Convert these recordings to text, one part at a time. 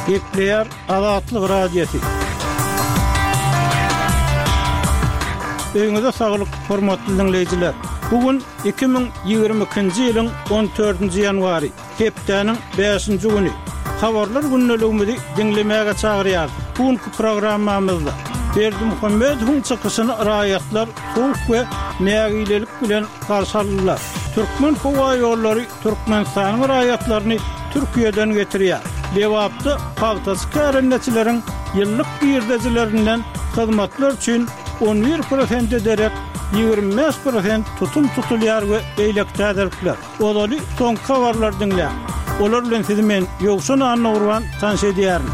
Gepleýär Azatlyk Radiosy. Öýüňize saglyk, hormatly diňleýjiler! Bu gün 2022-nji ýylyň 14-nji ýanwary, hepdäniň bäşinji güni. Habarlar gündeligimizi diňlemäge çagyrýarys. Bu günki programmamyzda Berdimuhamedowyň çykyşyny raýatlar sowuk we nägilelik bilen garşy aldylar. Türkmenhowaýollary Türkmenistanyň raýatlaryny Türkiýeden getirýär. Lebapda pagtaçy kärendeçileriň ýyllyk girdejilerinden hyzmatlar üçin 11 prosente derek 25 prosent tutum tutulýar we beýleki täzelikler. Ozaly soňky habarlary diňläň. Olar bilen sizi men, Ýowşan Annagurban, tanyş edýärin.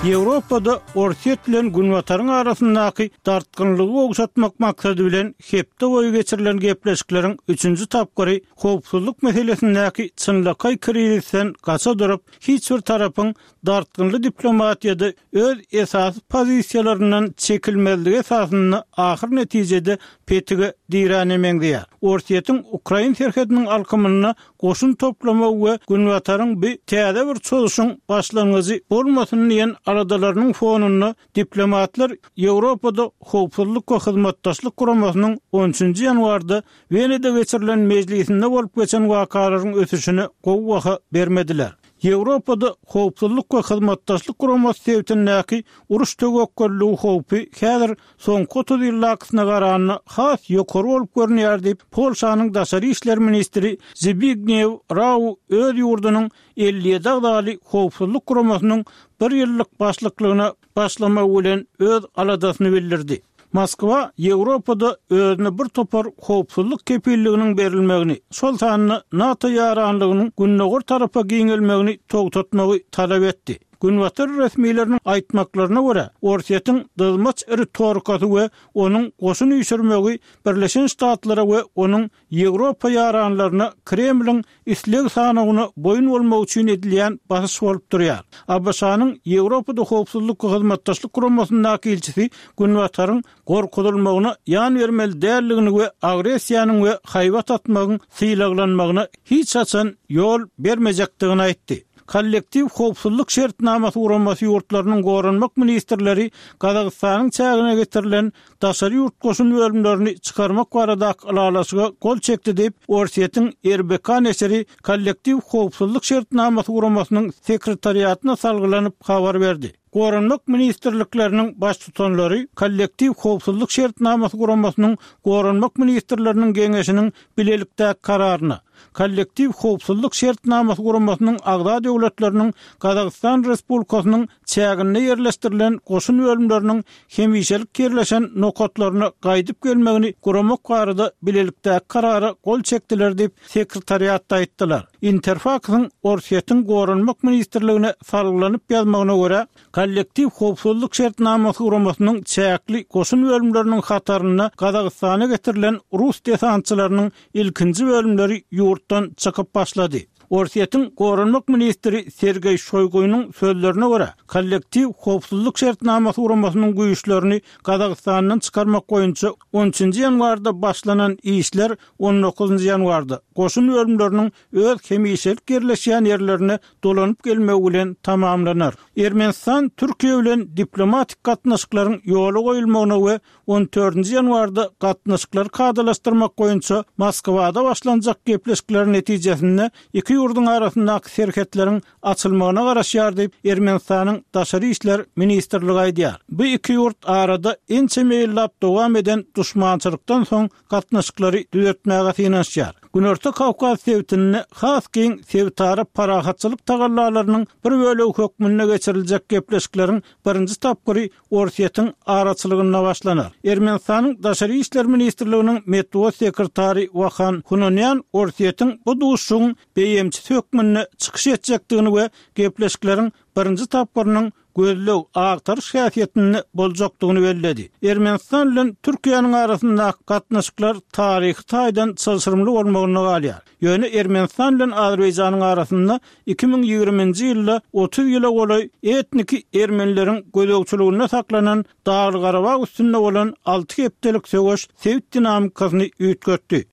Ýewropada Orsýet bilen Günbataryň arasyndaky dartgynlygy gowşatmak maksady bilen hepde boýy geçirilen gepleşikleriň üçünji tapgyry howpsuzlyk meselesindäki çynlakaý krizisden gaça durup, hiç bir tarapyň dartgynly diplomatiýada öz esasy pozisiýalaryndan çekilmezligi esasynda ahyr netijede petige diräne meňzeýär. Orsýetiň ukrain serhediniň alkymynda goşun toplamagy we Günbataryň bu täze bir çozuşyň başlangyjy bolmasyn diýen aladalarynyň fonunda Diplomatlar Ýewropada Howpsuzlyk we Hyzmatdaşlyk Guramasynyň on üçünji ýanwarda Wenada geçirilen mejlisinde bolup geçen wakalaryň ösüşine gowy baha bermediler. Ýewropada Howpsuzlyk we Hyzmatdaşlyk Guramasy sebitindäki uruş töwekgelligi howpy häzir soňky 30 ýyldakysyna garanda has ýokary bolup görünýär diýip, Polşanyň daşary işler ministri Zbigniew Rau öz ýurdunyň 57 agzaly Howpsuzlyk Guramasynyň bir ýyllyk başlyklygyna başlamagy bilen öz aladasyny bildirdi. Moskwa Ýewropada özüne bir topar howpsuzlyk kepilliginiň berilmegini, şol sanda NATO ýaranlygynyň gündogar tarapa giňelmegini togtatmagy talap etdi. Günbatar resmileriniň aýtmaklaryna görä, Orsýetiň dyzmaç ritorikasy we onuň goşun üýşürmegi Birleşen Ştatlara we onuň Ýewropa ýaranlaryna Kremliň isleg sanawyna boýun bolmak üçin edilýän basyş bolup durýar. ABŞ-nyň Ýewropada Howpsuzlyk we Hyzmatdaşlyk Guramasyndaky ilçisi Günbataryň gorkuzylmagyna ýan bermeli däldigini we agressiýanyň we haýbat atmagyň sylaglanmagyna hiç haçan ýol bermejekdigini aýtdy. Kollektiw howpsuzlyk şertnamasy guramasy ýurtlarynyň goranmak ministrleri Gazagystanyň çägine getirilen daşary ýurt goşun bölümlerini çykarmak baradaky ylalaşyga gol çekdi diýip, Orsýetiň RBK neşiri Kollektiw howpsuzlyk şertnamasy guramasynyň sekretariatyna salgylanyp habar berdi. Goranmak ministrlikleriniň baştutanlary Kollektiw howpsuzlyk şertnamasy guramasynyň Goranmak ministrleriniň geňeşiniň bilelikdäki kararyna, Kollektiw howpsuzlyk şertnamasy guramasynyň agza döwletleriniň Gazagystan Respublikasynyň çäginde ýerleşdirilen goşun bölümleriniň hemişelik ýerleşen nokatlaryna gaýdyp gelmegini guramak barada bilelikdäki karara gol çekdiler diýip, sekretariatda aýtdylar. Interfaksyň Orsýetiň Goranmak ministrligine salgylanyp ýazmagyna görä, Kollektiw howpsuzlyk şertnamasy guramasynyň çäkli goşun bölümleriniň hatarynda Gazagystana getirilen rus desantçylarynyň ilkinji bölümleri ýurtdan çykyp başlady. Orsýetiň goranmak ministri Sergeý Şoýgunyň sözlerine görä, Kollektiw howpsuzlyk şertnamasy guramasynyň güýçlerini Gazagystandan çykarmak boýunça on üçünji ýanwarda başlanan işler on dokuzynjy ýanwarda, goşun bölümleriniň öz hemişelik ýerleşýän ýerlerine dolanyp gelmegi bilen tamamlanar. Ermenistan Türkiýe bilen diplomatik gatnaşyklaryň ýola goýulmagyna we on dördünji ýanwarda gatnaşyklary kadalaşdyrmak boýunça Moskwada başlanjak gepleşikleriň netijesinde iki ýurduň arasyndaky serhetleriň açylmagyna garaşýar diýip, Ermenistanyň Daşary işler ministrligi aýdýar. Bu iki ýurt arada ençeme ýyllap dowam eden duşmançylykdan soň gatnaşyklary düzetmäge synanyşýar. Günorta Kawkaz sebitinde has giň sebitara parahatçylyk tagallalarynyň bir bölegi hökmünde geçiriljek gepleşikleriň birinji tapgyry Orsýetiň araçylygynda başlanar. Ermenistanyň Daşary işler ministrliginiň metbugat sekretary Wahan Hunanýan Orsýetiň bu duşuşygyň beýemçisi hökmünde çykyş etjekdigini we gepleşikleriň birinji tapgyrynyň gözleg, agtaryş häsiýetinde boljakdygyny belledi. Ermenistan bilen Türkiýäniň arasyndaky gatnaşyklar taryhy taýdan çylşyrymly bolmagynda galýar. Ýöne Ermenistan bilen Azerbaýjanyň arasynda 2020-nji ýylda 30 ýyla golaý etniki ermenileriň gözegçiliginde saklanan Dagly-Garabag üstünde bolan alty hepdelik söweş sebit dinamikasyny üýtgetdi.